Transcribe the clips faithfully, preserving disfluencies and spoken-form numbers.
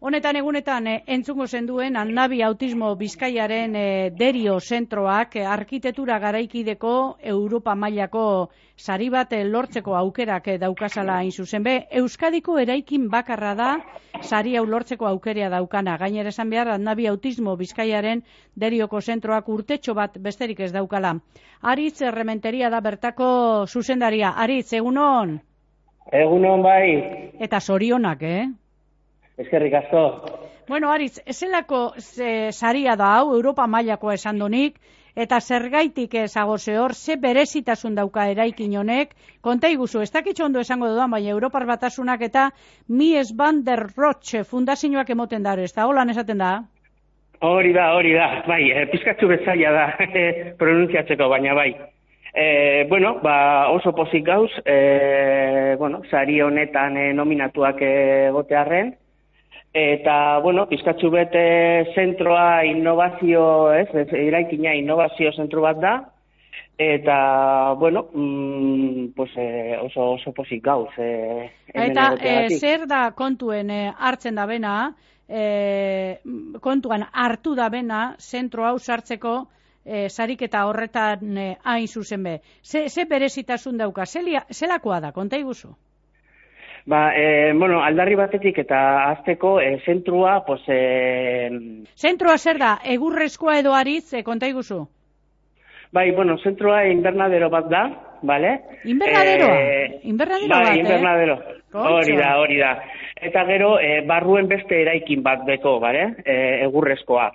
Honetan egunetan eh, entzungo zenduen Annabi Autismo Bizkaiaren eh, Derio zentroak eh, arkitektura garaikideko Europa mailako sari bat eh, lortzeko aukerak eh, daukazala hain zuzen be. Euskadiko eraikin bakarra da sari hau lortzeko aukerea daukana. Gainera esan behar Annabi Autismo Bizkaiaren Derioko zentroak urtetxo bat besterik ez daukala. Aritz Errementeria da bertako zuzendaria. Aritz, egunon? Egunon bai. Eta zorionak, eh? Eskerrik asko. Bueno, Aritz, ezelako ze, saria da hau, Europa mailakoa esan donik, eta zergaitik ezagoze hor, ze berezitasun dauka eraikin honek, konta iguzu, ez dakitxo ondo esango dudan, baina Europar Batasunak eta Mies van der Rohe fundazioak emoten da, ez da, holan esaten da? Hori da, hori da, bai, e, pizkatzu bezaila da, pronuntziatzeko, baina bai. E, bueno, ba, oso pozik gauz, e, bueno, sari honetan e, nominatuak egotearren, eta, bueno, pizkatzu bete zentroa innovazio, ez, eraikina innovazio zentro bat da, eta, bueno, mm, pues, eh, oso, oso pozik gauz. Eh, eta eh, zer da kontuen eh, hartzen da bena, eh, kontuan hartu da bena, zentro hau sartzeko eh, sariketa horretan eh, hain zuzen be. Ze, ze berezitasun dauka, zelia, zelakoa da, konta iguzu? Ba, e, bueno, aldarri batetik eta azteko e, zentrua, pues... E... Zentrua zer da, egurrezkoa edo Aritz, e, konta iguzu? Bai, bueno, zentrua invernadero bat da, bale? Invernaderoa? E... Invernadero bai, bat, eh? Invernadero, hori da, hori da. Eta gero, e, barruen beste eraikin bat beko, bale? E, egurrezkoa.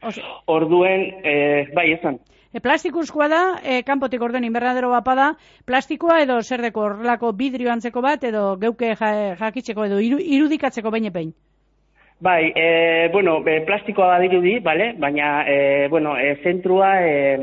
Oso. Orduen, e, bai, esan. E, plastikuzkoa da, e, kanpotik orden invernadero bapa da, plastikoa edo zer deko horrelako bidrio antzeko bat, edo geuke jakitzeko edo iru, irudikatzeko behin epein? Bai, e, bueno, e, plastikoa badirudi, bale? Baina, e, bueno, e, zentrua e,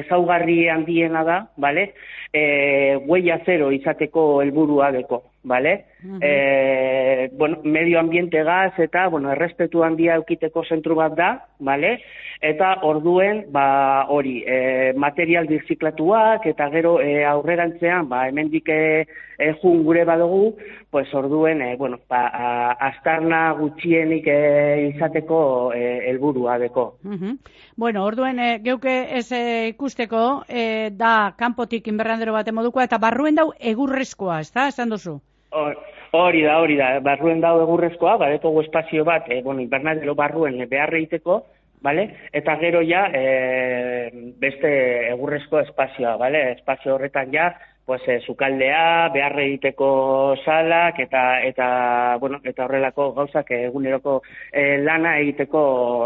ezaugarri handiena da, bale? E, huella zero izateko helburua deko, bale? Uh-huh. E, bueno, medio ambiente gaz eta, bueno, errespetu handia eukiteko zentru bat da, bale? Eta orduen, ba, hori, e, material birziklatuak eta gero e, aurrerantzean, ba, hemendik e, e, jun gure badugu, pues orduen, e, bueno, ba, a, astarna gutxienik e, izateko helburua e, deko. Uh-huh. Bueno, orduen, e, geuke ez e, ikusteko, e, da kanpotik inberrandero bat modukoa, eta barruen dau egurrezkoa, ez da, esan duzu? Hori da, hori da, barruen dau egurrezkoa, badekogu espazio bat, e, bueno, invernadero barruen beharre egiteko, vale? Eta gero ja, e, beste egurrezko espazioa, vale? Espazio horretan ja, pues, e, sukaldea, beharre egiteko salak, eta, eta, bueno, eta horrelako gauzak eguneroko e, lana egiteko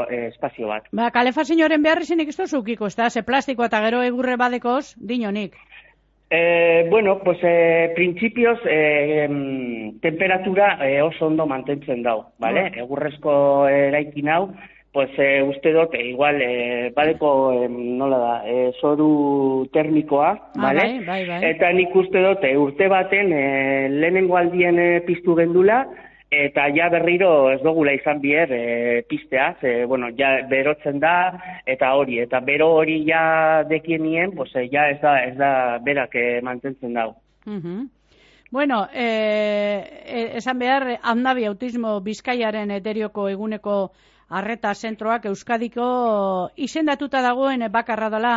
e, espazio bat. Ba, kalefazioaren beharri zinik ez duzukiko, ez da? Ze plastiko eta gero egurre badekoz, dinonik. Eh, bueno, pues eh, principios eh, temperatura eh, oso ondo mantentzen dau, vale? Mm. Egurrezko eraikin hau, pues eh, uste dut, eh, igual, eh, badeko, eh, nola da, eh, zoru termikoa, ah, vale? Bai, bai, bai. Eta nik uste dut, eh, urte baten eh, lehenengo aldien eh, piztu gendula, eta ja berriro ez dugula izan bier e, pistea, ze, bueno, ja berotzen da, eta hori, eta bero hori ja dekienien, pues, ja ez da, ez da berak e, mantentzen dau. Uh-huh. Bueno, eh, esan behar, Annabi Autismo Bizkaiaren Derioko eguneko arreta zentroak Euskadiko izendatuta dagoen bakarra dela,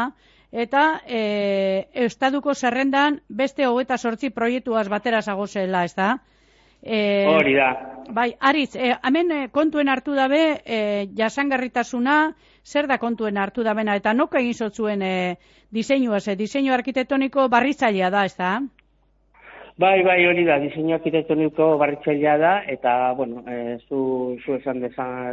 eta e, Eustaduko zerrendan beste hogeita zortzi proiektuaz batera zagozela, ez da? Eh, Hori da. Bai, Aritz, eh, hemen eh, kontuen hartu dabe, eh, jasangarritasuna, zer da kontuen hartu dabena, eta noka egin zotzuen eh, diseinua, ze diseinu arkitektoniko barritzailea da, ez da? Bai, bai, hori da, diseinu arkitektoniko barritzailea da, eta, bueno, eh, zu, zu esan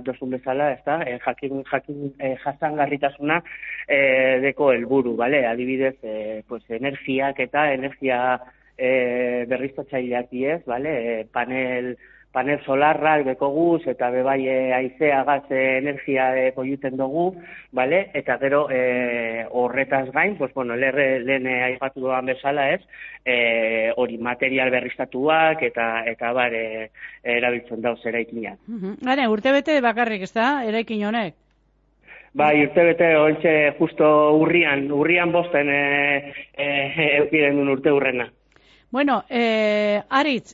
dozun bezala, ez da, eh, jakin, jakin eh, jasangarritasuna eh, deko helburu, bale? Adibidez, eh, pues, energiak eta energia E, berriztatzaileak diez, vale? E, panel, panel solarrak dekoguz, eta bebai e, aizea gaz e, energia e, koiuten dugu, vale? Eta gero e, horretaz gain, pues, bueno, lehen aipatu duan bezala ez, e, hori material berriztatuak eta eta bar e, erabiltzen dauz eraikinak. Uh-huh. Gane, urtebete bakarrik ez da, eraikin honek? Bai, urtebete horitxe justo urrian, urrian bosten e, e, eukiden duen urte urrena. Bueno, eh, Aritz,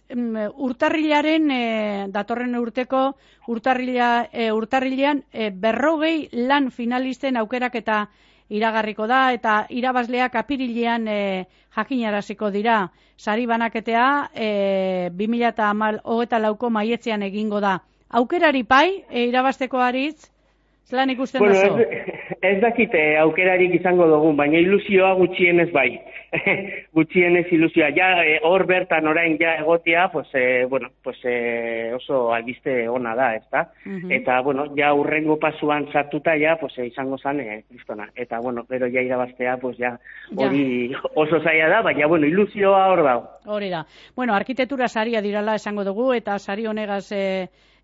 urtarrilaren, eh, datorren urteko urtarrila, eh, urtarrilean eh, berrogei lan finalisten aukerak eta iragarriko da, eta irabazleak apirilean eh, jakinaraziko dira. Sari banaketea eh, bi mila hogeita lauko maietzean egingo da. Aukerari pai, e, irabazteko Aritz, zelan ikusten bueno, duzu? Ez, ez dakite aukerarik izango dugun, baina ilusioa gutxienez bai. Gutxienez ilusioa. Ja, hor e, bertan orain ja egotea, pues, e, bueno, pues, e, oso albiste ona da, ezta? Uh-huh. Eta, bueno, ja urrengo pasuan sartuta ja, pues, e, izango zan, e, kristona. Eta, bueno, gero ja irabaztea, pues, ja, hori ja. Oso zaila da, baina, bueno, ilusioa hor dago. Hori da. Bueno, arkitektura saria dirala esango dugu, eta sari honegaz... E...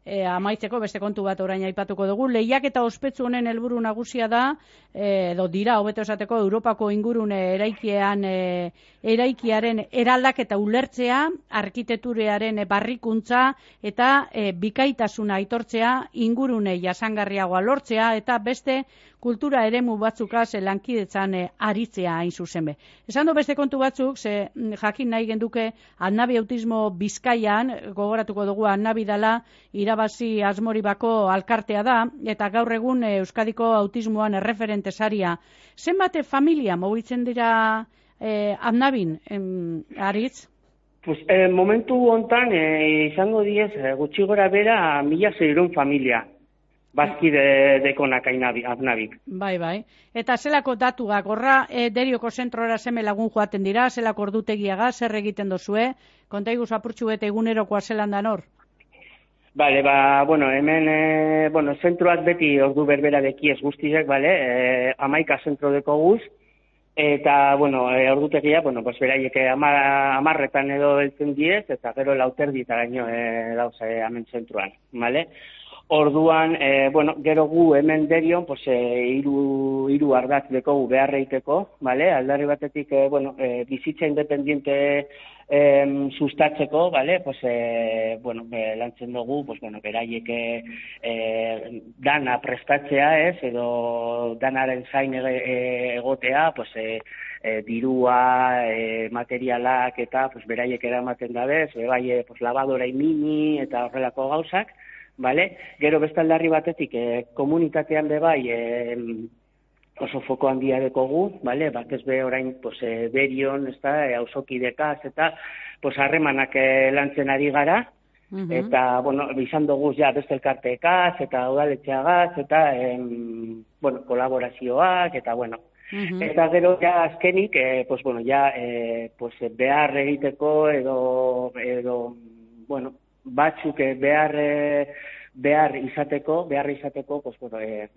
E, amaitzeko beste kontu bat orain aipatuko dugu. Lehiak eta ospetsu honen helburu nagusia da, e, edo dira, hobeto esateko, Europako ingurune eraikian, e, eraikiaren eraldaketa ulertzea, arkitekturearen barrikuntza eta e, bikaitasuna aitortzea, ingurune jasangarriagoa lortzea eta beste kultura eremu batzukaz lankidetzan e, aritzea hain zuzen be. Esan du beste kontu batzuk, ze jakin nahi genduke Annabi Autismo Bizkaian, gogoratuko dugu Annabi dala, irabazi Asmoribako alkartea da, eta gaur egun e, Euskadiko autismoan erreferente saria. Zenbate familia mugitzen dira e, Annabin, em, Aritz? Pues, eh, momentu hontan eh, izango diez, eh, gutxi gora bera mila zeirun familia. Bazki de, dekonak Annabik. Bai, bai. Eta zelako datuak, horra e, derioko zentrora seme lagun joaten dira, zelako ordutegiaga, zer egiten dozue, konta iguz apurtxu eta egunerokoa zelan dan hor? Bale, ba, bueno, hemen, e, bueno, zentroak beti ordu berbera dekiez guztizek, bale, e, amaika zentro deko guz, eta, bueno, e, ordutegia, bueno, pues beraiek amar, amarretan edo eltzen diez, eta gero lauterdita gaino e, dauz e, hemen zentroan, bale? Orduan, e, bueno, gero gu hemen derion, pues, e, iru, iru ardatz dekogu beharreiteko, bale? Aldarri batetik, e, bueno, e, bizitza independiente e, sustatzeko, bale? Pues, e, bueno, e, lantzen dugu, pues, bueno, beraiek e, dana prestatzea, ez? Edo danaren zain e, egotea, pues, e, e, dirua, e, materialak eta, pues, beraiek eramaten dabez, e, bai, e, pues, labadora mini eta horrelako gauzak, vale? Gero bestaldarri batetik eh, komunitatean be bai eh, oso foko handia dekogu, vale? Batez be orain pues, eh, berion, ezta, eh, auzokidekaz eta pues, harremanak eh, lantzen ari gara, uh-huh. Eta, bueno, izan dugu ja beste elkarteekaz eta udaletxeagaz eta eh, bueno, kolaborazioak eta bueno, uh-huh. Eta gero ja azkenik, eh, pues, bueno, ja eh, pues, behar egiteko edo, edo bueno, batzuk behar behar izateko, behar izateko, pues bueno, eh,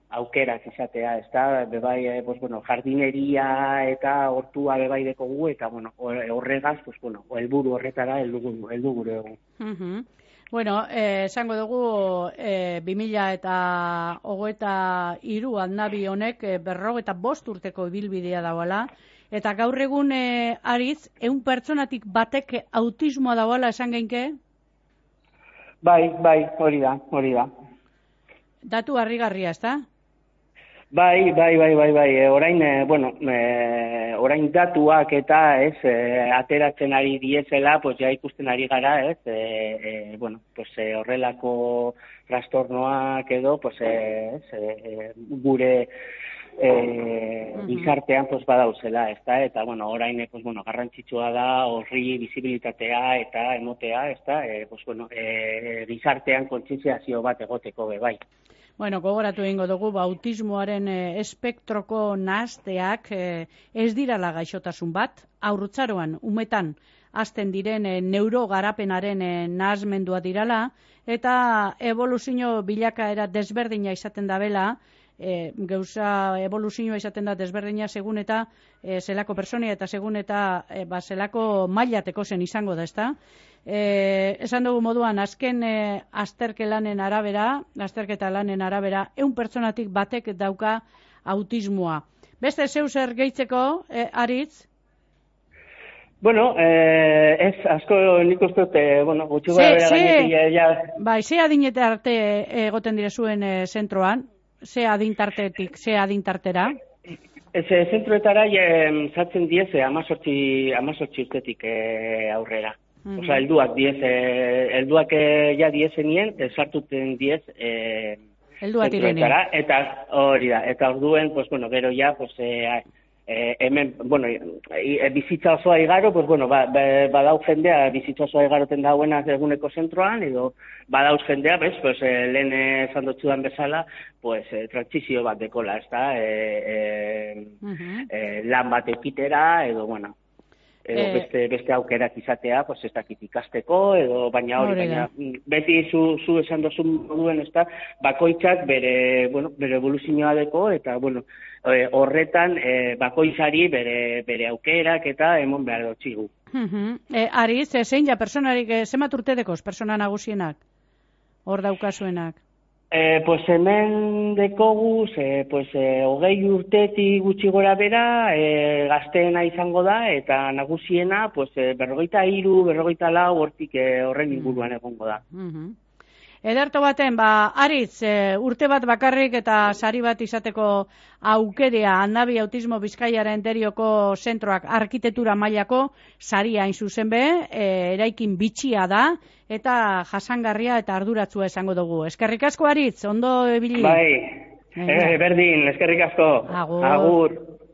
aukerak izatea, ezta, bebai, eh, pues bueno, jardineria eta hortua bebai dekogu eta bueno, horregaz, pues bueno, helburu horretara heldu heldu gure dugu. Uh-huh. Bueno, eh, esango dugu eh, bi mila eta hogeita hiru Annabi honek eh, berrogeita bost urteko ibilbidea dagoela, eta gaur egun eh, Aritz, ehun pertsonatik batek autismoa dagoela esan geinke? Bai, bai, hori da, hori da. Datu harrigarria, ezta? Bai, bai, bai, bai, bai. E, orain, e, bueno, e, orain datuak eta, ez, e, ateratzen ari diezela, pues ja ikusten ari gara, ez, e, e, bueno, pues e, horrelako trastornoak edo, pues, e, ez, e, gure eh gizartean pues badauzela, ezta, eta bueno, orain pues bueno, garrantzitsua da horri bizibilitatea eta emotea, ezta, eh pues bueno, eh gizartean kontzientziazio bat egoteko be bai. Bueno, gogoratu egingo dugu autismoaren e, espektroko nahazteak e, ez dirala gaixotasun bat, haurtzaroan umetan hasten diren e, neurogarapenaren e, nahazmendua dirala eta evoluzio bilakaera desberdina izaten dabela. E, gauza evoluzioa izaten da desberdina segun eta e, zelako personia eta segun eta e, ba, zelako mailateko zen izango da, ezta? E, esan dugu moduan, azken e, azterke lanen arabera, azterketa lanen arabera, ehun pertsonatik batek dauka autismoa. Beste zeu zer gehitzeko, e, Aritz? Bueno, eh, ez, asko nik uste dut, bueno, gutxi gara bera gainetik, ja... Bai, ze adinete arte egoten dire zuen e, zentroan? Ze adintartetik, ze adintartera? Ez, zentroetara sartzen diez amazortzi urtetik e, aurrera. Mm-hmm. Osa, helduak diez, e, helduak e, ja diezenien, e, sartuten diez e, zentroetara. Eta hori da, eta orduen, pues, bueno, gero ja, pues, e, e, hemen, bueno, e, bizitza osoa igaro, pues, bueno, ba, ba, badau jendea bizitza osoa igaroten dauena eguneko zentroan, edo badauz jendea, bez, pues, e, lehen esan dutzudan bezala, pues, e, transizio bat dekola, ez da, e, e, uh-huh. e, lan bat ekitera, edo, bueno, edo eh, beste, beste aukerak izatea, pues, ez dakit ikasteko, edo, baina hori, baina, beti zu, zu esan dozu moduen, ez da, bakoitzak bere, bueno, bere evoluzioa deko, eta, bueno, horretan e, bakoitzari bere, bere aukerak eta emon behar dutxigu. Uh-huh. E, Ariz, zein ja, personarik, e, zemat urte dekoz, persona nagusienak, hor daukasuenak? E, pues hemen dekoguz, e, pues, e, hogei urtetik gutxi gora bera, e, gazteena izango da, eta nagusiena, pues, e, berrogeita hiru, berrogeita lau, hortik e, horren inguruan egongo da. Uh-huh. Ederto baten, ba, Ariz, e, urte bat bakarrik eta sari bat izateko aukerea Annabi Autismo Bizkaiaren derioko zentroak arkitektura mailako saria hain zuzen be, e, eraikin bitxia da, eta jasangarria eta arduratsua esango dugu. Eskerrik asko, Ariz, ondo ebili. Bai, e, berdin, eskerrik asko. Agur. Agur.